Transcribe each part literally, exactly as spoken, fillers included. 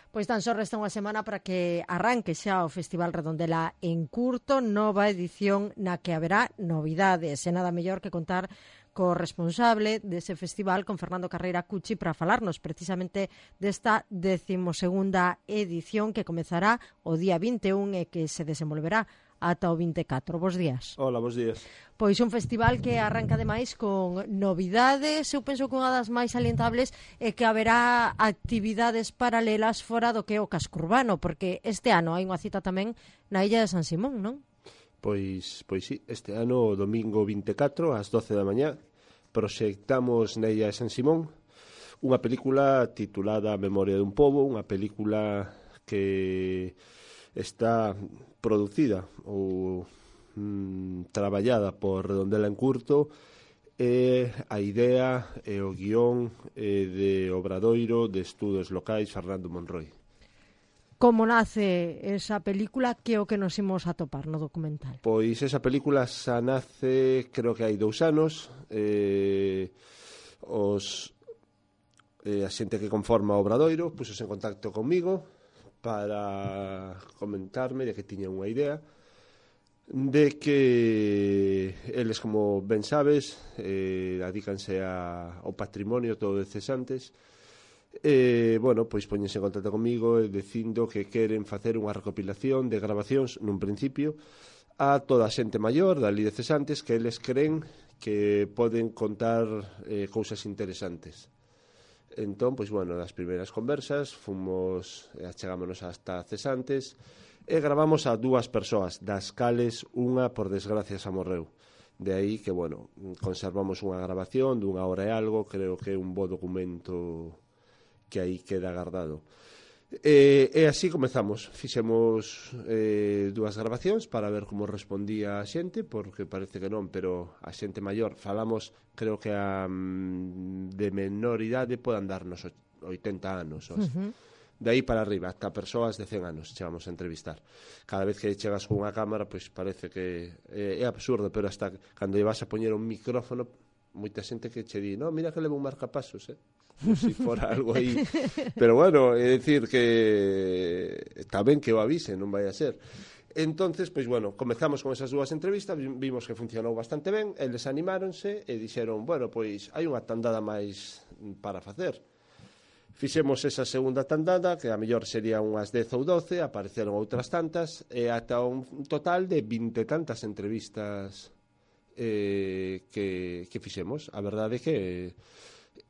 Pois tan só resta unha semana para que arranque xa o Festival Redondela en Curto, nova edición na que haberá novidades, e nada mellor que contar co responsable dese festival, con Fernando Carreira Cuchi, para falarnos precisamente desta decimosegunda edición que comezará o día vinte e un e que se desenvolverá ata o vinte e catro. Bos días. Hola, bos días. Pois un festival que arranca ademais con novidades. Eu penso que unha das máis salientables é que haberá actividades paralelas fora do que é o casco urbano, porque este ano hai unha cita tamén na Illa de San Simón, non? Pois, pois sí, este ano, o domingo vinte e catro, ás doce da mañá, proxectamos na Illa de San Simón unha película titulada A Memoria dun Pobo, unha película que está producida ou mm, traballada por Redondela en Curto, e a idea e o guión e de Obradoiro de Estudos Locais Fernando Monroy. Como nace esa película, que é o que nos imos atopar no documental? Pois esa película xa nace, creo que hai dous anos, eh, os, eh, a xente que conforma o Obradoiro puxose en contacto comigo para comentarme de que tiña unha idea de que eles, como ben sabes, eh, adícanse a, ao patrimonio todo de cesantes. E, bueno, pois poñense en contacto comigo e dicindo que queren facer unha recopilación de grabacións nun principio a toda a xente maior dali de cesantes que eles creen que poden contar eh, cousas interesantes. Entón, pois, bueno, das primeiras conversas fomos, achegámonos hasta cesantes e gravamos a dúas persoas, das cales unha, por desgracia, xa morreu. De aí que, bueno, conservamos unha grabación dunha hora e algo, creo que é un bo documento que aí queda guardado. E, e así comezamos, fixemos eh, dúas grabacións para ver como respondía a xente, porque parece que non, pero a xente maior falamos, creo que a mm, de menor idade podan darnos oitenta anos, uh -huh. De aí para arriba, hasta persoas de cen anos chegamos a entrevistar. Cada vez que chegas con unha cámara, pois parece que é, é absurdo, pero hasta cando lle vas a poñer un micrófono, moita xente que che di, no, mira que leva un marcapasos, eh? Como se si fora algo aí. Pero bueno, é dicir que está ben que o avise, non vai a ser. Entonces, pois bueno, comezamos con esas dúas entrevistas, vimos que funcionou bastante ben, eles animáronse e dixeron, bueno, pois hai unha tandada máis para facer. Fixemos esa segunda tandada, que a mellor sería unhas dez ou doce, apareceron outras tantas, e ata un total de vinte tantas entrevistas eh, que, que fixemos. A verdade é que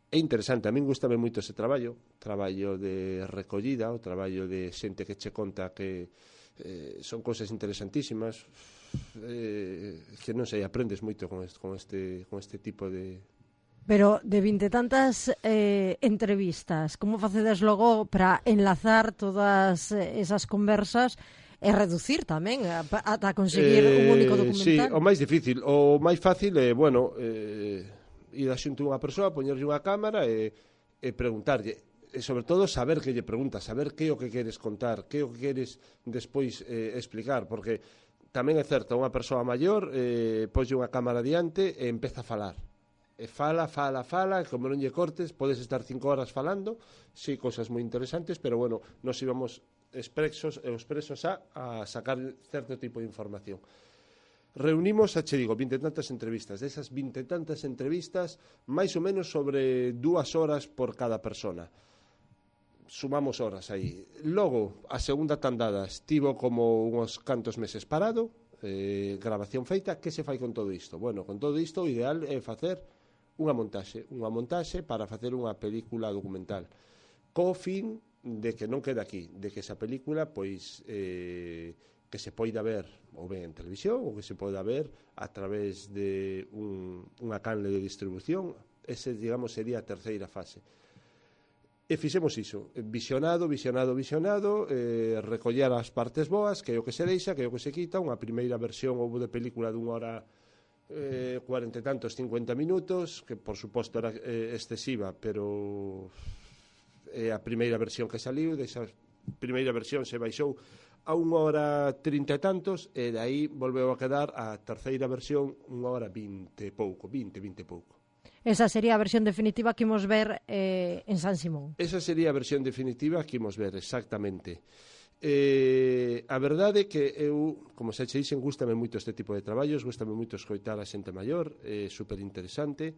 é interesante, a min gustame moito ese traballo, traballo de recollida, o traballo de xente que che conta que eh, son cousas interesantísimas, eh, que non sei, aprendes moito con este, con este, con este tipo de... Pero de vinte tantas eh, entrevistas, como facedes logo para enlazar todas esas conversas e reducir tamén ata conseguir eh, un único documental? Sí, o máis difícil, o máis fácil é, bueno... Eh, ir a xunto unha persoa, poñerlle unha cámara e, e preguntarlle, e sobre todo saber que lle preguntas, saber que é o que queres contar, que é o que queres despois eh, explicar, porque tamén é certo, unha persoa maior eh, poñe unha cámara diante e empeza a falar, e fala, fala, fala, e como non lle cortes, podes estar cinco horas falando, sí, cosas moi interesantes, pero bueno, nos íbamos expresos, expresos a, a sacar certo tipo de información. Reunimos, xa che digo, vinte tantas entrevistas. Desas vinte tantas entrevistas, máis ou menos sobre dúas horas por cada persona. Sumamos horas aí. Logo, a segunda tandada estivo como uns cantos meses parado, eh, grabación feita. Que se fai con todo isto? Bueno, con todo isto o ideal é facer unha montaxe, unha montaxe para facer unha película documental. Co fin de que non quede aquí, de que esa película, pois... Eh, que se poida ver ou ben en televisión ou que se poida ver a través de un, unha canle de distribución. Ese, digamos, sería a terceira fase. E fixemos iso, visionado, visionado, visionado, eh, recoller as partes boas, que é o que se deixa, que é o que se quita. Unha primeira versión houve de película dunha hora eh, cuarenta e tantos, cincuenta minutos, que por suposto era eh, excesiva, pero é a primeira versión que saliu. Desa primeira versión se baixou a unha hora trinta e tantos, e de aí volveu a quedar a terceira versión unha hora vinte e pouco, vinte, vinte e pouco. Esa sería a versión definitiva que imos ver eh, en San Simón. Esa sería a versión definitiva que imos ver, exactamente. Eh, a verdade é que eu, como xa che dixen, gústame moito este tipo de traballos, gústame moito escoitar a xente maior, é super interesante.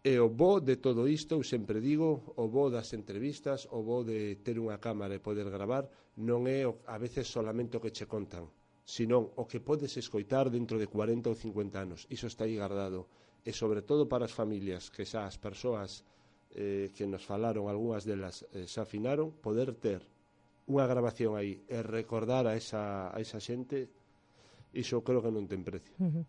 E o bo de todo isto, eu sempre digo, o bo das entrevistas, o bo de ter unha cámara e poder gravar, non é a veces solamente o que che contan, senón o que podes escoitar dentro de cuarenta ou cincuenta anos. Iso está aí guardado. E sobre todo para as familias, que xa as persoas eh, que nos falaron, algunhas delas eh, xa afinaron, poder ter unha grabación aí e recordar a esa, a esa xente, iso creo que non ten precio. Uh-huh.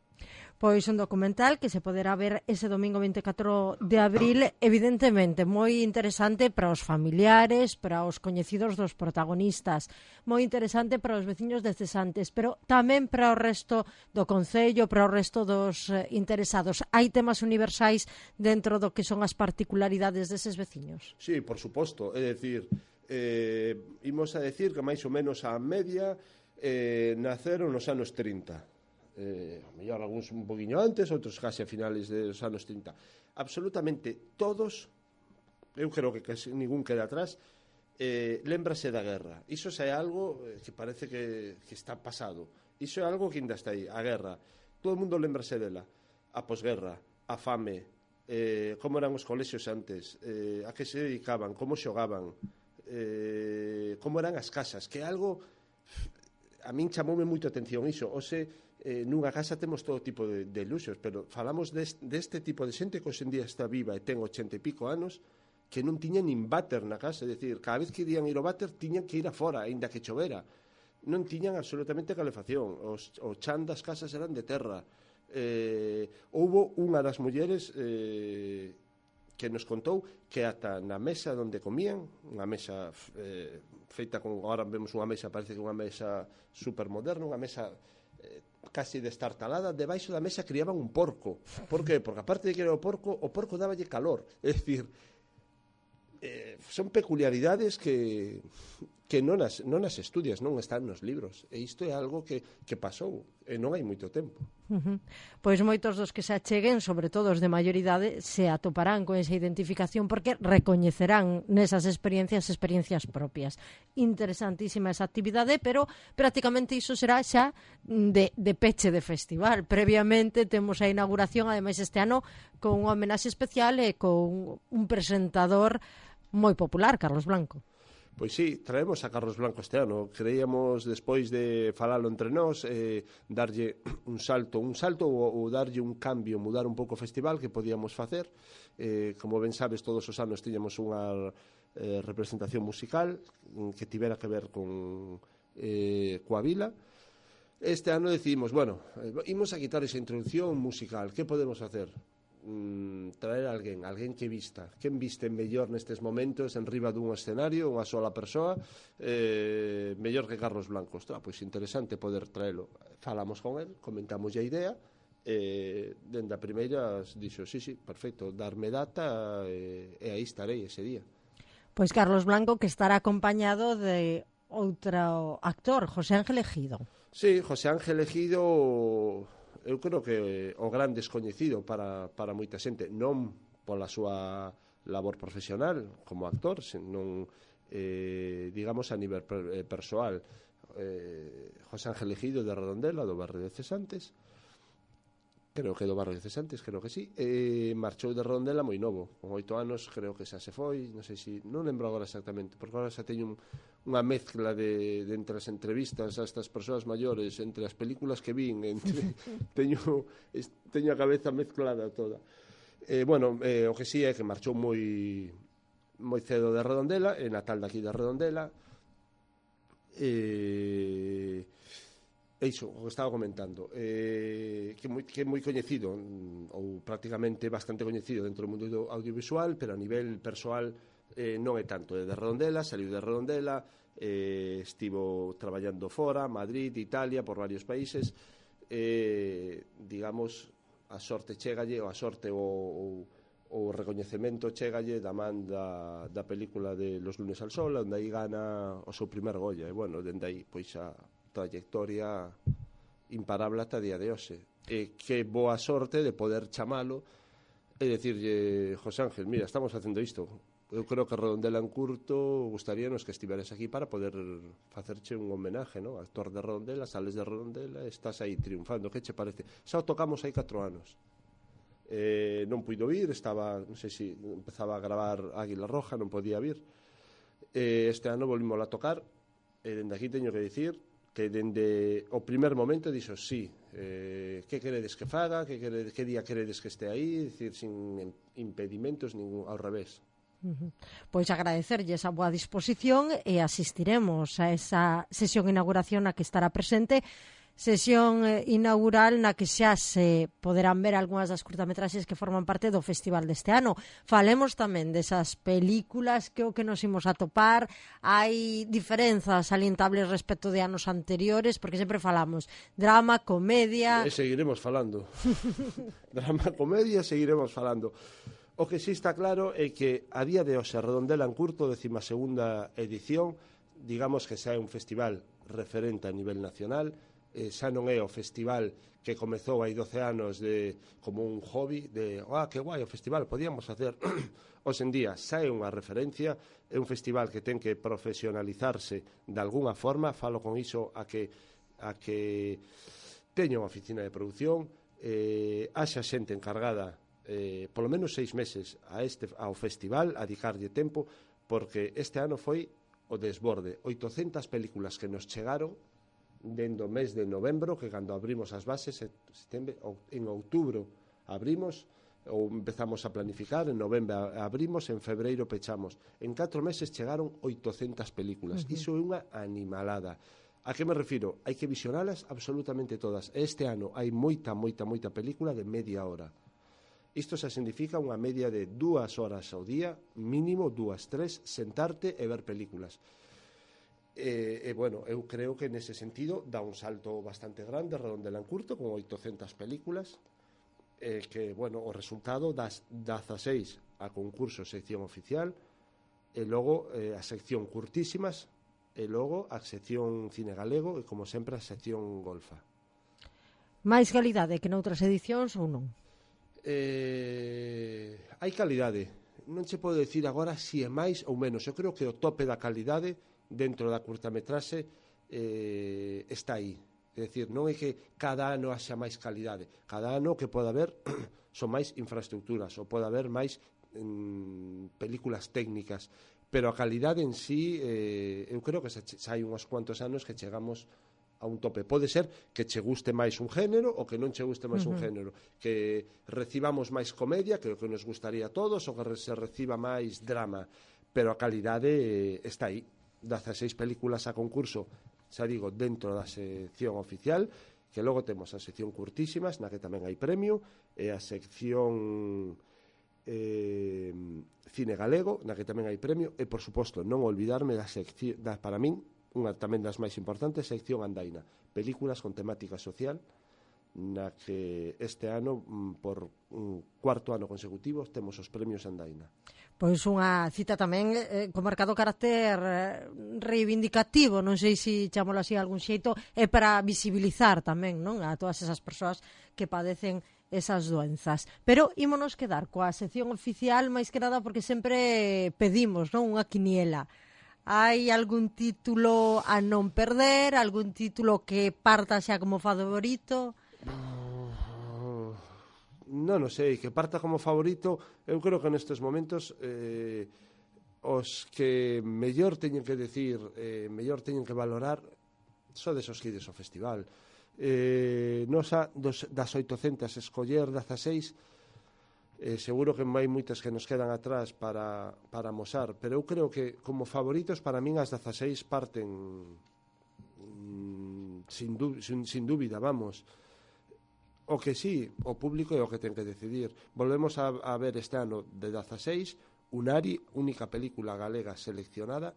Pois un documental que se poderá ver ese domingo vinte e catro de abril, evidentemente moi interesante para os familiares, para os coñecidos dos protagonistas, moi interesante para os veciños de Cesantes, pero tamén para o resto do concello, para o resto dos eh, interesados. Hai temas universais dentro do que son as particularidades deses veciños? Sí, por suposto, é dicir, eh, imos a decir que máis ou menos a media eh, naceron nos anos trinta. Eh, a mellor algúns un poquinho antes, outros case a finales dos anos trinta. Absolutamente todos, eu creo que casi ningún queda atrás, eh, lembrase da guerra. Iso xa é algo que parece que, que está pasado. Iso é algo que ainda está aí, a guerra. Todo o mundo lembrase dela. A posguerra, a fame, eh, como eran os colexios antes, eh, a que se dedicaban, como xogaban, eh, como eran as casas, que é algo... A min chamoume moito a atención iso. Ose, eh, nunha casa temos todo tipo de, de luxos, pero falamos deste, deste tipo de xente que hoxe en día está viva e ten ochenta e pico anos, que non tiña nin váter na casa, é dicir, cada vez que irían ir ao váter tiñan que ir afora, aínda que chovera. Non tiñan absolutamente calefacción, os, o chan das casas eran de terra. Eh, houbo unha das mulleres eh, que nos contou que ata na mesa onde comían, unha mesa eh, feita con, agora vemos unha mesa, parece que unha mesa supermoderna, unha mesa eh, casi destartalada, debaixo da mesa criaban un porco. Por que? Porque aparte de que era o porco, o porco dáballe calor. É dicir, eh, son peculiaridades que que non as, non as estudias, non están nos libros. E isto é algo que, que pasou, e non hai moito tempo. Uh-huh. Pois moitos dos que se acheguen, sobre todo os de maior idade, se atoparán con esa identificación porque recoñecerán nesas experiencias experiencias propias. Interesantísima esa actividade, pero prácticamente iso será xa de, de peche de festival. Previamente temos a inauguración, ademais este ano, con unha homenaxe especial e con un presentador moi popular, Carlos Blanco. Pois sí, traemos a Carlos Blanco este ano. Creíamos, despois de falalo entre nós, eh, darlle un salto, un salto ou, ou darlle un cambio, mudar un pouco o festival que podíamos facer. Eh, como ben sabes, todos os anos tiñamos unha eh, representación musical que tivera que ver con eh, coa vila. Este ano decidimos, bueno, eh, imos a quitar esa introducción musical. Que podemos facer? Mm, traer a alguén, alguén que vista. Quen viste mellor nestes momentos en riba dun escenario, unha sola persoa, eh, mellor que Carlos Blanco. Ostras, pois interesante poder traelo. Falamos con el, comentamos a idea, e dende a primeira dixo, sí, sí, perfecto, darme data e, e aí estarei ese día. Pois Carlos Blanco, que estará acompañado de outro actor, José Ángel Ejido. Sí, José Ángel Ejido, eu creo que o gran descoñecido para, para moita xente, non pola súa labor profesional como actor, senón, eh, digamos, a nivel per, eh, persoal. Eh, José Ángel Ejido de Redondela, do barrio de Cesantes, creo que do barrio de Cesantes, creo que sí, e marchou de Redondela moi novo, con oito anos, creo que xa se foi, non sei se, non lembro agora exactamente, porque agora xa teño un, unha mezcla de, de entre as entrevistas a estas persoas maiores, entre as películas que vin, entre, teño, es, teño a cabeza mezclada toda. Eh, bueno, eh, o que sí é que marchou moi moi cedo de Redondela, é natal daqui de Redondela, e... E iso, o que estaba comentando, eh, que, moi, que é moi coñecido, ou prácticamente bastante coñecido dentro do mundo do audiovisual, pero a nivel persoal eh, non é tanto. É de Redondela, saliu de Redondela, eh, estivo traballando fora, Madrid, Italia, por varios países, eh, digamos, a sorte chegalle, ou a sorte ou, ou o recoñecemento chegalle da man da, da película de Los lunes al sol, onde aí gana o seu primer Goya, e bueno, dende aí, pois a trayectoria imparable ata día de hoxe. E que boa sorte de poder chamalo e dicirlle, José Ángel, mira, estamos facendo isto, eu creo que Redondela en curto gustaríanos que estiveres aquí para poder facerche un homenaje, ¿no? Actor de Redondela, sales de Redondela, estás aí triunfando, que che parece? Xa o tocamos hai catro anos. Eh, non puido vir, estaba, non sei se empezaba a gravar Águila Roja, non podía vir. Eh, este ano volvimos a tocar, e dende aquí teño que dicir que dende o primer momento dixo sí, eh, que queredes que faga, que, queredes, que día queredes que este aí, dicir, sin impedimentos, ningún, ao revés. Uh-huh. Pois agradecerlle esa boa disposición e asistiremos a esa sesión de inauguración na que estará presente, sesión eh, inaugural na que xa se poderán ver algunhas das curtametraxes que forman parte do festival deste ano. Falemos tamén desas películas que o que nos imos a topar. Hai diferenzas salientables respecto de anos anteriores, porque sempre falamos drama, comedia... E seguiremos falando. Drama, comedia, seguiremos falando. O que sí está claro é que a día de hoxe Redondela en curto, décima segunda edición, digamos que xa é un festival referente a nivel nacional, eh, xa non é o festival que comezou hai doce anos de, como un hobby de, ah, que guai o festival, podíamos facer. Hoxe en día xa é unha referencia, é un festival que ten que profesionalizarse de alguna forma, falo con iso a que, a que teña unha oficina de produción, eh, haxa xente encargada eh, polo menos seis meses a este, ao festival, a dedicarlle tempo, porque este ano foi o desborde, oitocentas películas que nos chegaron dentro do mes de novembro, que cando abrimos as bases setembro, en outubro abrimos ou empezamos a planificar, en novembro abrimos, en febreiro pechamos, en catro meses chegaron oitocentas películas. Uh-huh. Iso é unha animalada. A que me refiro? Hai que visionalas absolutamente todas. Este ano hai moita, moita, moita película de media hora. Isto xa significa unha media de dúas horas ao día, mínimo dúas, tres, sentarte e ver películas. E, e bueno, eu creo que nese sentido dá un salto bastante grande Redondela en curto, con oitocentas películas, eh, que, bueno, o resultado das dezaseis a concurso sección oficial, e logo eh, a sección curtísimas, e logo a sección cine galego, e como sempre a sección golfa. Máis calidade que noutras edicións ou non? Eh, hai calidade, non che podo dicir agora se si é máis ou menos. Eu creo que o tope da calidade dentro da curtametraxe eh, está aí. É dicir, non é que cada ano haxa máis calidade, cada ano que pode haber son máis infraestructuras, ou pode haber máis mm, películas técnicas, pero a calidade en sí eh, eu creo que xa, xa hai uns cuantos anos que chegamos a un tope. Pode ser que che guste máis un género ou que non che guste máis uh-huh. un género, que recibamos máis comedia, que é o que nos gustaría a todos, ou que se reciba máis drama, pero a calidade eh, está aí. dezaseis películas a concurso, xa digo, dentro da sección oficial, que logo temos a sección curtísimas, na que tamén hai premio, e a sección eh, cine galego, na que tamén hai premio, e, por suposto, non olvidarme da sección, da, para min, unha tamén das máis importantes, sección andaina, películas con temática social, na que este ano, por un cuarto ano consecutivo, temos os premios andaina. Pois unha cita tamén eh, con marcado carácter eh, reivindicativo, non sei se chamolo así algún xeito, é para visibilizar tamén, non, a todas esas persoas que padecen esas doenzas. Pero ímonos quedar coa sección oficial, máis que nada porque sempre pedimos, non, unha quiniela. Hai algún título a non perder, algún título que parta xa como favorito? Non o sei, que parta como favorito, eu creo que nestes momentos eh, os que mellor teñen que decir, eh, mellor teñen que valorar, sodes os que ides ao festival. Eh, nosa, dos, das oitocentas escoller dezaseis, Eh, seguro que hai moitas que nos quedan atrás para, para amosar, pero eu creo que como favoritos para min as dezaseis parten mm, sin, sin, sin dúbida, vamos. O que sí, o público é o que ten que decidir. Volvemos a, a ver este ano de dezaseis Unari, única película galega seleccionada,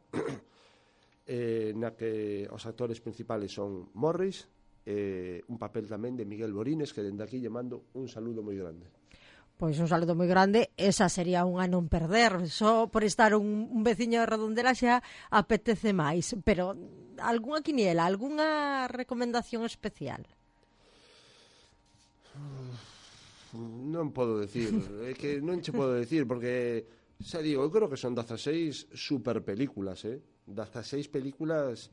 eh, na que os actores principales son Morris, eh, un papel tamén de Miguel Borines, que dende aquí lle mando un saludo moi grande. Pois un saludo moi grande, esa sería unha non perder, só por estar un, un veciño de Redondela xa apetece máis, pero algunha quiniela, algunha recomendación especial? non podo decir, é que non che podo decir, porque, xa digo, eu creo que son dezaseis super películas, eh? dezaseis películas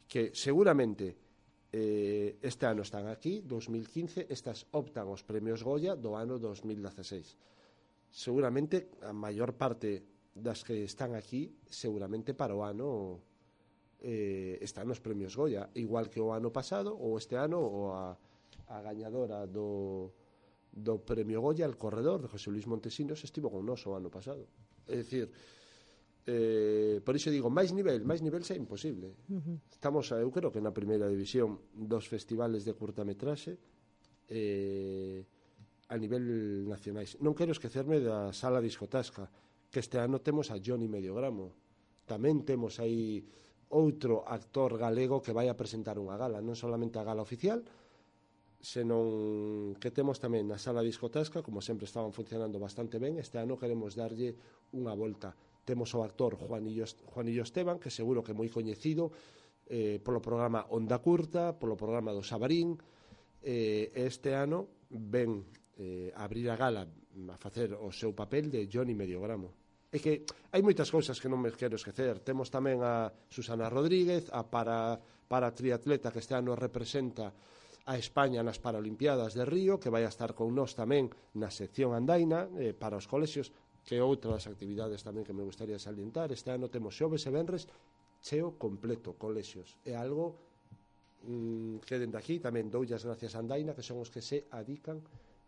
que seguramente eh, este ano están aquí, dos mil quince, estas optan os premios Goya do ano dos mil dezaseis. Seguramente a maior parte das que están aquí, seguramente para o ano eh, están nos premios Goya, igual que o ano pasado, ou este ano, ou a, a gañadora do do premio Goya, el corredor de José Luis Montesinos, estivo con nos o ano pasado. É dicir, eh, por iso digo, máis nivel, máis nivel xa é imposible. Uh-huh. Estamos, eu creo que na primeira división dos festivales de curtametraxe eh, a nivel nacionais. Non quero esquecerme da Sala Discotasca, que este ano temos a Johnny Mediogramo. Tamén temos aí outro actor galego que vai a presentar unha gala, non solamente a gala oficial, senón que temos tamén na Sala Discotasca, como sempre estaban funcionando bastante ben. Este ano queremos darlle unha volta. Temos o actor Juanillo, Juanillo Esteban, que seguro que é moi coñecido eh, polo programa Onda Curta, polo programa do Sabarín. Eh, este ano ven eh, a abrir a gala a facer o seu papel de Johnny Mediogramo. É que hai moitas cousas que non me quero esquecer. Temos tamén a Susana Rodríguez, a para, para triatleta que este ano representa a España nas Paralimpiadas de Río, que vai a estar con nós tamén na sección andaina eh, para os colexios, que é outra das actividades tamén que me gustaría salientar. Este ano temos xoves e venres cheo completo, colexios. É algo mm, que dende aquí tamén doulle as gracias a Andaina, que son os que se adican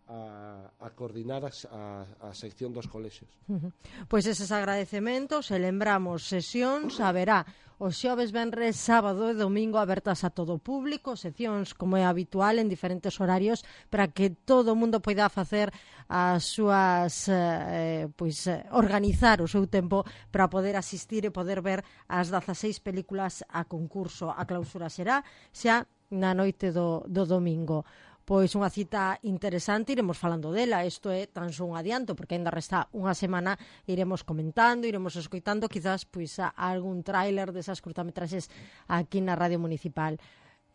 a, a coordinar a, a, a sección dos colexios. Uh-huh. Pois eses agradecementos, e lembramos sesións, haberá os xoves, venres, sábado e domingo abertas a todo o público, seccións como é habitual en diferentes horarios para que todo o mundo poida facer as súas eh, pois organizar o seu tempo para poder asistir e poder ver as dezaseis películas a concurso. A clausura será xa na noite do, do domingo. Pois unha cita interesante, iremos falando dela. Isto é tan só un adianto, porque ainda resta unha semana, iremos comentando, iremos escoitando quizás pois a, a algún tráiler desas curtametraxes aquí na Radio Municipal.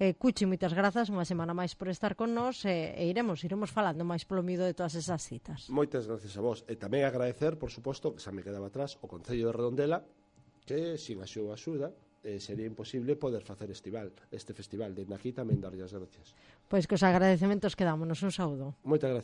Eh, Cuchi, moitas grazas unha semana máis por estar con nós, e, e iremos iremos falando máis polo mido de todas esas citas. Moitas gracias a vos, e tamén agradecer, por suposto, que xa me quedaba atrás, o Concello de Redondela, que sin a súa axuda Eh, sería imposible poder facer estival, este festival. Dende aquí tamén darlle as gracias. Pois que os agradecementos quedámonos. Un saúdo. Moitas gracias.